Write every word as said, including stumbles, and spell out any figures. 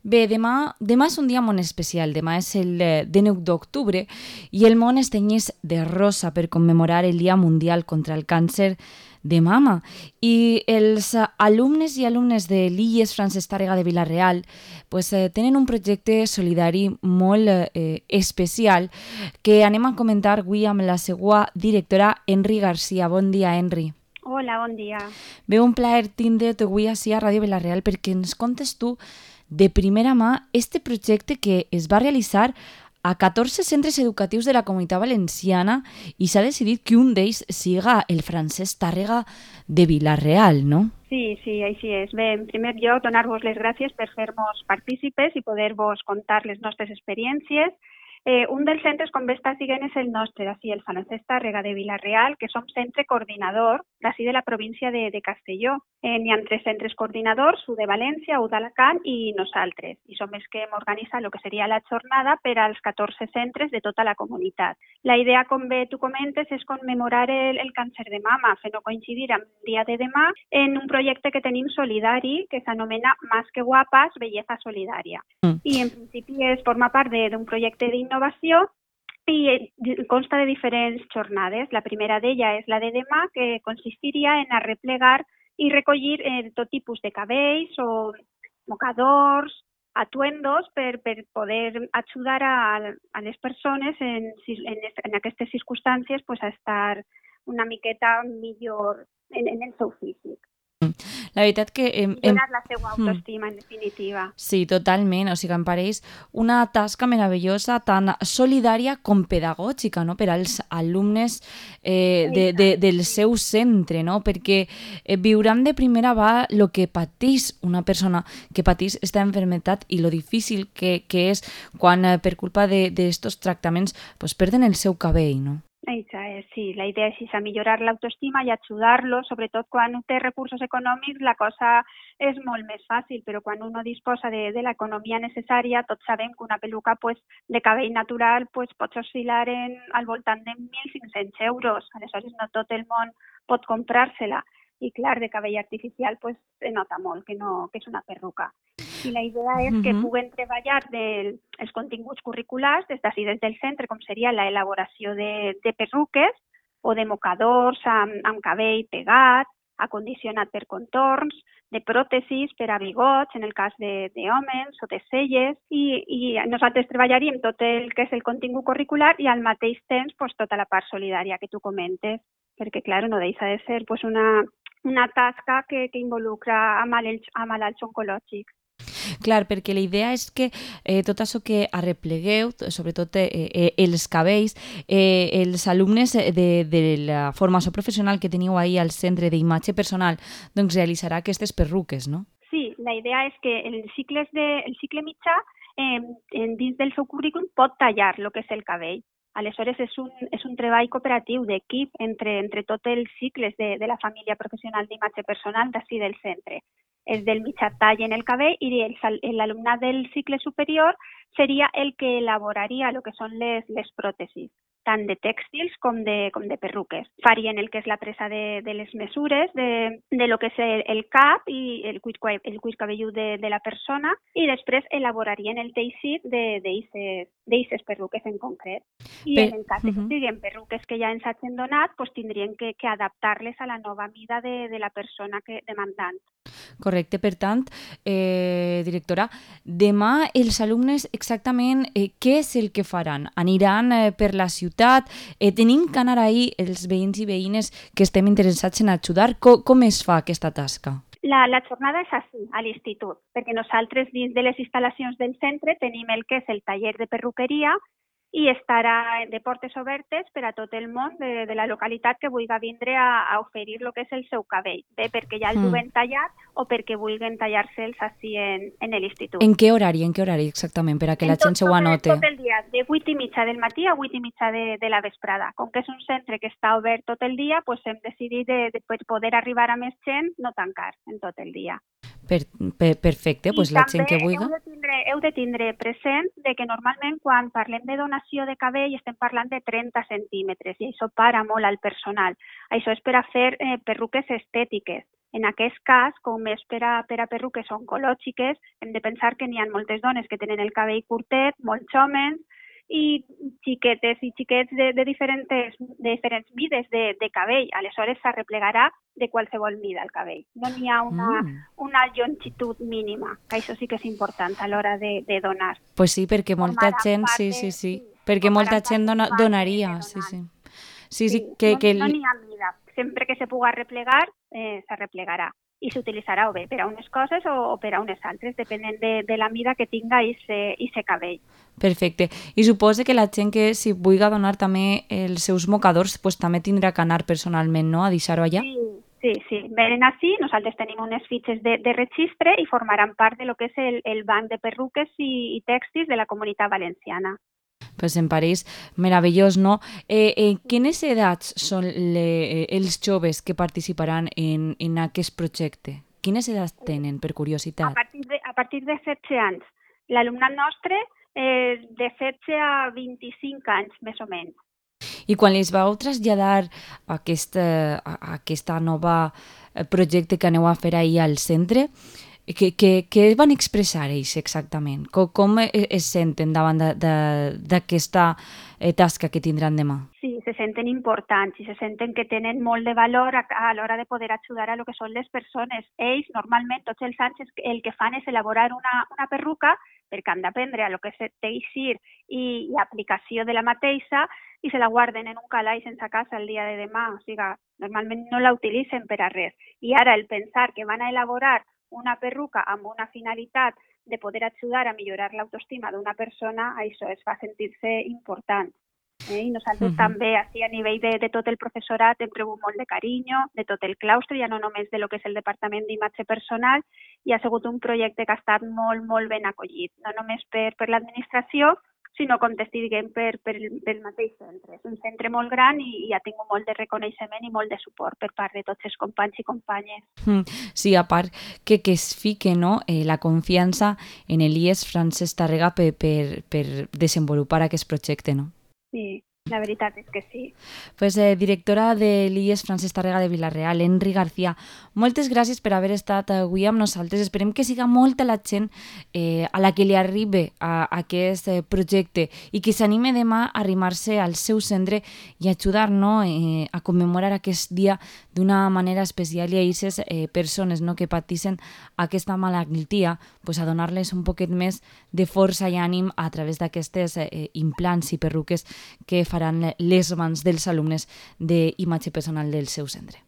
Bé, demà, demà és un dia molt especial. Demà és el eh, dinou d'octubre i el món es tenyeix de rosa per commemorar el Dia Mundial contra el Càncer de Mama. I els eh, alumnes i alumnes de l'I E S Francesc Tàrrega de Vila-real pues, eh, tenen un projecte solidari molt eh, especial que anem a comentar avui amb la seva directora Enri Garcia. Bon dia, Enri. Hola, bon dia. Bé, un plaer tindre't avui ací a Ràdio Vila-real perquè ens contes tu de primera mà este projecte que es va realitzar a catorze centres educatius de la Comunitat Valenciana i s'ha decidit que un d'ells siga el Francesc Tàrrega de Vila-real, no? Sí, sí, així és. Bé, en primer lloc, donar-vos les gràcies per fer-nos partícipes i poder-vos contar les nostres experiències. Eh, un dels centres, com bé està siguent, és el nostre, d'ací, el Francesc Tàrrega de Vila-real, que som centre coordinador d'ací de la província de, de Castelló. Eh, N'hi ha tres centres coordinadors, u de València, u d'Alacant i nosaltres. I som els que hem organitzat el que seria la jornada per als catorze centres de tota la comunitat. La idea, com bé tu comentes, és commemorar el, el càncer de mama, fent-ho coincidir amb el dia de demà en un projecte que tenim solidari que s'anomena Más que guapas, belleza solidària. Mm. I en principi es forma part d'un projecte d'innovació i consta de diferents jornades. La primera d'ella és la de demà, que consistiria en arreplegar i recollir eh, tot tipus de cabells o mocadors, atuendos per, per poder ajudar a, a les persones en, en, en aquestes circumstàncies pues, a estar una miqueta millor en, en el seu físic. La veritat que... Em, em... Donar la seva autoestima, en definitiva. Sí, totalment. O sigui, em pareix una tasca meravellosa, tan solidària com pedagògica, no?, per als alumnes eh, de, de, del seu centre, no?, perquè eh, viuran de primera mà el que pateix una persona que pateix aquesta enfermetat i lo difícil que, que és quan eh, per culpa d'estos tractaments pues, perden el seu cabell, no? Eixa és, sí, la idea és a millorar l'autoestima i ajudar-lo, sobretot quan un té recursos econòmics la cosa és molt més fàcil, però quan un no disposa de, de l'economia necessària, tots sabem que una peluca pues, de cabell natural pues, pot oscil·lar en, al voltant de mil cinc-cents euros, aleshores no tot el món pot comprar-se-la, i clar, de cabell artificial pues, se nota molt que, no, que és una perruca. I la idea és que puguen treballar del, els continguts curriculars des d'ací, des del centre, com seria l'elaboració de, de perruques o de mocadors amb, amb cabell pegat, acondicionat per contorns, de pròtesis per a bigots, en el cas d'homes, o de celles, i, i nosaltres treballaríem tot el que és el contingut curricular i al mateix temps pues, tota la part solidària que tu comentes, perquè, clar, no deixa de ser pues, una, una tasca que, que involucra a malalts, a malalts oncològics. Clar, perquè la idea és que eh, tot això que arreplegueu, sobretot eh, eh, els cabells, eh, els alumnes de, de la formació professional que teniu ahir al centre d'imatge personal, doncs realitzarà aquestes perruques, no? Sí, la idea és que el cicle, de, el cicle mitjà, eh, dins del seu currículum, pot tallar el que és el cabell. Aleshores, és un, és un treball cooperatiu d'equip entre, entre tots els cicles de, de la família professional d'imatge personal d'ací del centre. És del mitjà tall en el cabell i l'alumnat del cicle superior seria el que elaboraria el que són les, les pròtesis, tant de tèxtils com de, com de perruques. Farien el que és la presa de, de les mesures, de, de lo que és el, el cap i el cuir, el cuir cabellut de, de la persona i després elaborarien el teixit d'eixes perruques en concret. I Bé, en el cas uh -huh. que siguin perruques que ja ens hagin donat, pues tindrien que, que adaptar-les a la nova mida de, de la persona que, demandant. Correcte, per tant, eh, directora, demà els alumnes exactament eh, què és el que faran? Aniran eh, per la ciutat? Eh, tenim que anar ahir els veïns i veïnes que estem interessats en ajudar? Com, com es fa aquesta tasca? La, la jornada és així, a l'institut, perquè nosaltres dins de les instal·lacions del centre tenim el que és el taller de perruqueria i estarà de portes obertes per a tot el món de, de la localitat que vulgui vindre a, a oferir el que és el seu cabell, bé perquè ja el duen mm. tallat o perquè vulguin tallar-se'ls així en, en l'institut. En què horari, en què horari exactament, per a que en la gent se ho anote? Tot el dia, de vuit i mitja del matí a vuit i mitja de, de la vesprada. Com que és un centre que està obert tot el dia, pues hem decidit de, de poder arribar a més gent, no tancar en tot el dia. Per, per, perfecte, doncs la gent que vulgui. Heu de, tindre, heu de tindre present de que normalment quan parlem de donació de cabell estem parlant de trenta centímetres i això para molt al personal. Això és per a fer eh, perruques estètiques. En aquest cas, com és per a, per a perruques oncològiques, hem de pensar que n'hi ha moltes dones que tenen el cabell curtet, molts homes, i xiquetes i xiquets de, de, diferents, de diferents mides de, de cabell. Aleshores s'arreplegarà de qualsevol mida el cabell. No n'hi ha una, mm. una longitud mínima, que això sí que és important a l'hora de, de donar. Pues sí, perquè molta gent, sí, sí, sí, perquè molta gent dona, donaria, sí, sí. Sí, sí, que, no, que... no n'hi ha mida. Sempre que se pugui arreplegar, eh, s'arreplegarà. I s'utilitzarà o bé per a unes coses o, o per a unes altres, depenent de, de la mida que tinga aquest cabell. Perfecte. I suposo que la gent que si vulgui donar també els seus mocadors, pues, també tindrà que anar personalment, no?, a deixar-ho allà? Sí, sí, sí. Venen així, nosaltres tenim unes fitxes de, de registre i formaran part de lo que és el, el banc de perruques i, i tèxtils de la Comunitat Valenciana. Pues em pareix meravellós, no? Eh, eh, quines edats són le, els joves que participaran en, en aquest projecte? Quines edats tenen, per curiositat? A partir de, a partir de setze anys. L'alumnat nostre és de setze a vint-i-cinc anys, més o menys. I quan els vau traslladar aquesta, aquesta nova projecte que aneu a fer ahir al centre, Què, què, què van expressar ells exactament? Com, com es senten davant d'aquesta tasca que tindran demà? Sí, se senten importants i se senten que tenen molt de valor a, a l'hora de poder ajudar a lo que són les persones. Ells, normalment, tots els anys el que fan és elaborar una, una perruca perquè han d'aprendre a lo que és teixir i l'aplicació de la mateixa i se la guarden en un calaix sense casa el dia de demà. O sigui, normalment no la utilitzen per a res. I ara el pensar que van a elaborar una perruca amb una finalitat de poder ajudar a millorar l'autoestima d'una persona, això es fa sentir-se important. Eh? I nosaltres uh-huh. també, així a nivell de, de tot el professorat, hem rebut molt de carinyo, de tot el claustre, ja no només de lo que és el Departament d'Imatge Personal, i ha sigut un projecte que ha estat molt, molt ben acollit, no només per, per l'administració, sinó, com t'estic dient, per, per, per el mateix centre. És un centre molt gran i, i ha tingut molt de reconeixement i molt de suport per part de tots els companys i companyes. Mm, sí, a part que, que es fique, no, eh, la confiança en l'I E S Francesc Tàrrega per, per, per desenvolupar aquest projecte, no? Sí, la veritat és que sí. Pues, eh, directora de l'I E S Francesc Tàrrega de Vila-real, Enri García, moltes gràcies per haver estat avui amb nosaltres. Esperem que siga molta la gent eh, a la que li arribi a, a aquest eh, projecte i que s'anime demà a arrimar-se al seu centre i ajudar, no, eh, a commemorar aquest dia d'una manera especial i a aquestes eh, persones, no, que pateixen aquesta malaltia, pues, a donar-les un poquet més de força i ànim a través d'aquestes eh, implants i perruques que faran les mans dels alumnes d'imatge personal del seu centre.